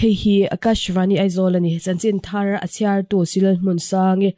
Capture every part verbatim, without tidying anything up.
Hei hi Akashvani Aizawl ani chanchin thar a chhiar tu Silal Hmun Sangi.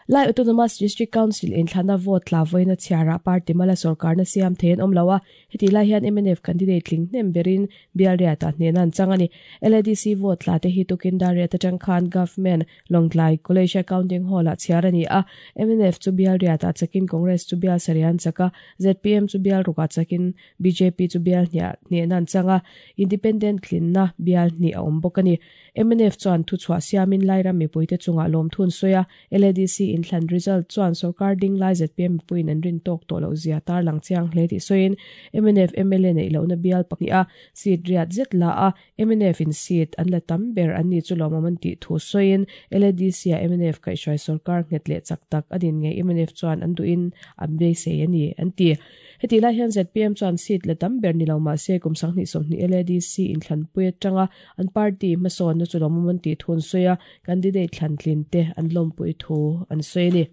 Lai Autonomous District Council in thlana vote tla voina chhiara party mala sarkar na siam thein awm lo a heti lai hian M N F candidate tling hnem berin bial riata hnen an chang ani. L A D C vote tla te hi tukin dar riat atang khan Government Lawngtlai College Accounting Hall ah chhiar ani a. M N F chu bial riata chakin Congress chu bial sarian chaka Z P M chu bial ruka chakin B J P chu bial hnia hnen an changa Independent tlinna bial hni a awm bawk ani. M N F chuan thu chhuah siamin lairam mipuite chungah lawm thun sawi a. L A D C inthlan result chuan sarkar ding lai Z P M puin an rin tawk tawh loh zia tar lang chiang hle tih sawiin M N F M L A neih lohna bial pahnih a seat riat zet la a M N F in seat an la tam ber an ni chu lawmawm an tih thu sawiin L A D C a M N F kaihhruai sarkar nghet leh chak tak a din ngei M N F chuan an duhin an beisei ani an ti. Heti lai hian Z P M chuan seat la tam ber ni lo mah se kum sanghnih sawmhnih L A D C inthlan pui atanga an party hmasawn na chu lawmawm an tih thun sawi a candidate thlan tlin te an lawmpui thu an sawi ani.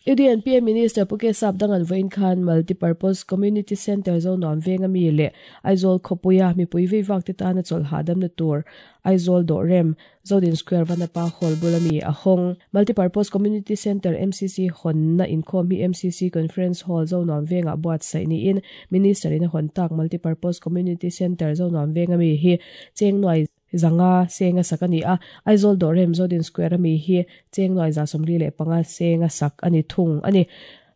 U D N P A Minister Puke Sap dangan voin khan Multipurpose Community Center zo nuam venga mi le Aizawl khopuia mipui veivak te tana chawlh hahdam na tur Aizawl dawh rem Zodin Square Vanapa Hall bulami a hawng. Multipurpose Community Center M C C hawn na inkhawm hi M C C Conference Hall zo nuam venga buat sai ni in Minister in a hawn tak Multipurpose Community Center zo nuam venga mi hi cheng nuai zanga senga sak ani a. Aizawl dawh rem Zodin Square ami hi cheng nuai za sawmli leh panga senga sak ani thung ani.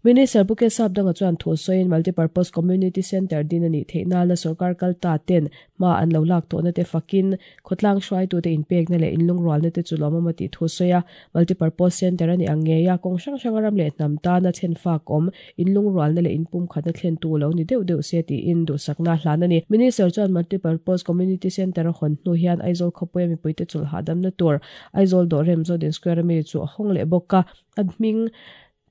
Minister Puke Sap danga chuan thu sawiin Multipurpose Community Center din ani theihna la sarkar kalta ten ma an lo lak tawhna te fakin khawtlang hruaitu te inpek na leh inlung rual na te chu lawmawm a tih thu sawi a. Multipurpose Center ani ang ngei a kawng hrang hrang a ram leh hnam tana chen fak awm inlung rual na leh inpum khatna thlen tu lo ni deuh deuh se tiin duhsakna hlan ani. Minister chuan Multipurpose Community Center a hawn hnu hian Aizawl khawpuia mipuite chawlh hahdam na tur Aizawl dawh rem Zodin Square ami chu a hawng leh bawk a. A hming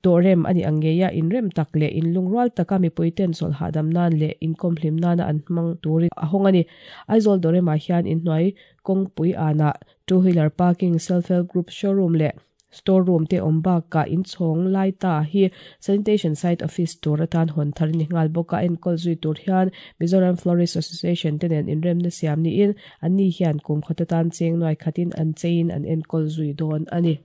dawh rem ani ang ngei a inrem tak leh inlung rual taka mipuiten chawlh hahdam nan leh inkawm hlim nana an hmang turin a hawng ani. Aizawl dawh remah hian inhnuai kawngpui ana two wheeler parking self help group showroom leh storeroom te awm bakah inchhawng lai ta hi sanitation site office tur atan hawn thar ni nghal bawk a enkawl zui tur hian Mizoram Florist Association te nen inremna siam niin an ni hian kum khat atan cheng nuai khatin an chein an enkawl zui dawn ani.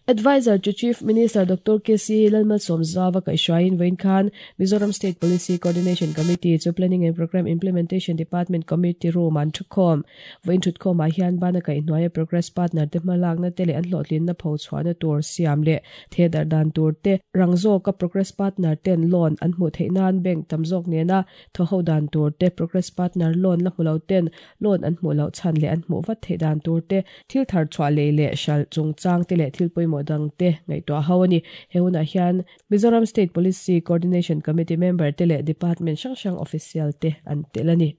Advisor to Chief Minister Doctor K C Lalmalsawmzauva kaihhruaiin vawiin khan Mizoram State Policy Coordination Committee chu Planning and Program Implementation Department Committee room an thukhawm. Vawiin thutkhawmah hian bana kaihhnuaia progress partner te hmalakna te leh an hlawhtlinna pho chhuahna tur siam leh thedar dan tur te rangzawka progress partner ten loan an hmuh theih nan bank tam zawk nena thaw ho dan tur te progress partner loan la hmu lo ten loan an hmuh loh chhan leh an hmuh vat theih dan tur te thil thar chhuah lei leh hral chungchang te leh thil pawimawh dang te ngaihtuah ho ani. He hunah hian Mizoram State Policy Coordination Committee member te leh department hrang hrang official te an tel ani.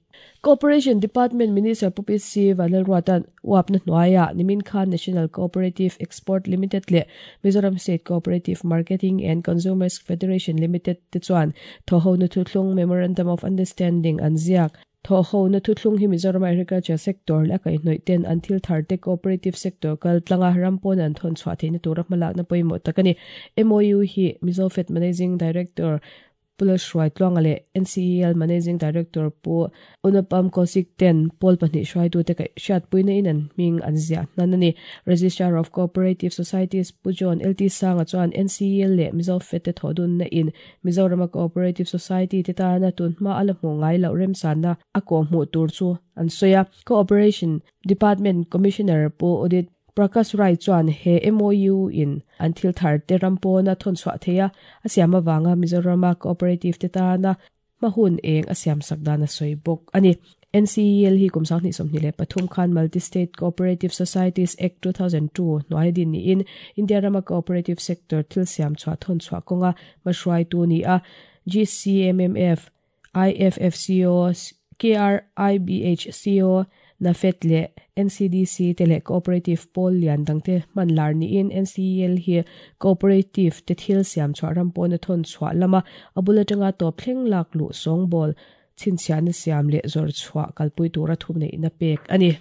Cooperation Department Minister Pu P C Vanlalruatan uapna hnuaia nimin khan National Cooperative Export Limited leh Mizoram State Cooperative Marketing and Consumers Federation Limited te chuan thaw ho na thuthlung Memorandum of Understanding an ziak. Thaw ho na thuthlung hi Mizoram Agriculture Sector leh kaihhnawih ten an thil thar te cooperative sector kal tlanga rampawn an thawn chhuah theihna tura hmalakna pawimawh tak ani. M O U hi Mizofed Managing Director Pula Hruai Tluanga leh N C E L Managing Director Pu Unapam Kosik ten Paul pahnih hruaitu te hriatpuina in an hming an ziah hnan ani. Registrar of Cooperative Societies Pu John L T Sanga chuan N C E L leh Mizofed te thawhdunna in Mizorama Cooperative Society te tana tun hma a la hmuh ngai loh remsanna a kawh hmuh tur chu an sawi a. Cooperation Department Commissioner Pu Udit Prakash Rai chuan he M O U in an thil thar te rampawna thawn chhuah theia a siam awanga Mizorama Cooperative te tana hmahun eng a siam sak dan a sawi bawk ani. N C E L hi kum sanghnih sawmhnih leh pathum khan Multi-State Cooperative Societies Act two thousand two hnuai din niin India rama Cooperative Sector thil siam chhuah thawn chhuah kawnga hmahruai tu ni a. G C M M F, I F F C O, K R I B H C O, NAFED leh N C D C te leh Cooperative Pawl lian dangte hman lar niin N C E L hi Cooperative te thil siam chhuah rampawna thawn chhuah lama a bul atanga tawp thleng lak luh sawngbawl chhinchhiahna siam leh zawr chhuah kalpui tura thum neihna pek ani.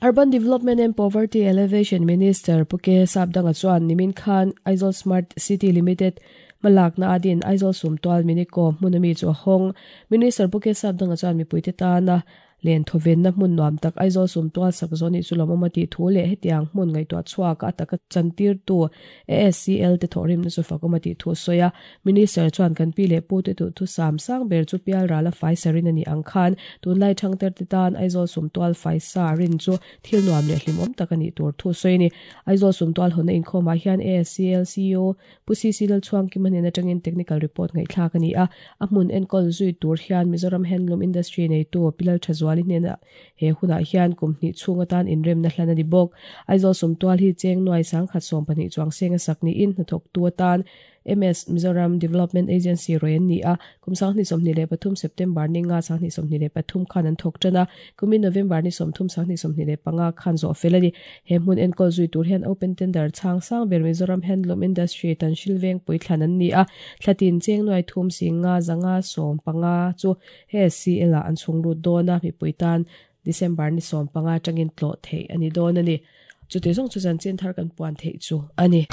Urban Development and Poverty Alleviation Minister Puke Sapdanga chuan nimin khan Aizawl Smart City Limited malakna adin Aizawl Sumtual Miniko hmunami chu a hawng. Minister Puke Sapdanga chuan mipuite tana Len thawvenna hmun nuam tak Aizawl sumtual sak zawh nih chu lawmawm a tih thu leh hetiang hmun ngaihtuah chhuak a taka chantirtu A S C L te thawhrimna chu fakawm a tih thu a sawi a. Minister chuan kan pi leh pu te duhthu sam sang ber chu pialral a fai sa rin a nih ang khan tunlai thangter te tan Aizawl sumtual fai sa rin chu thil nuam leh hlimawm tak a nih tur thu a sawi a ni. Aizawl sumtual hawnna inkhawmah hian A S C L C E O Pu C C Lalchhuangkima hnen atangin technical report ngaihthlak a ni a. A hmun enkawl zui tur hian Mizoram Handloom Industry neitu Pi Lalthazuali hnenah he hunah hian kum hnih chhung atan inremna hlan a ni bawk. Aizawl sumtual hi cheng nuai sangkhat sawm pahnih chuang seng a sak niin hnathawktu atan M S Mizoram Development Agency rawih an ni a. Kum sanghnih sawmhnih leh pathum September ni nga sanghnih sawmhnih leh pathum khan an thawk tan a, kumin November ni sawmthum sanghnih sawmhnih leh panga khan zawh fel a ni. He hmun enkawl zui tur hian open tender chhang sang ber Mizoram Handloom Industry Tanhril Vengpui thlan an ni a. Thlatin cheng nuai thum singa zanga sawm panga chu A S C L ah an chhung lut dawn a, mipui tan December ni sawm panga atangin tlawh theih a ni dawn a ni. Chuti zawng chu chanchin thar kan puan theih chu a ni.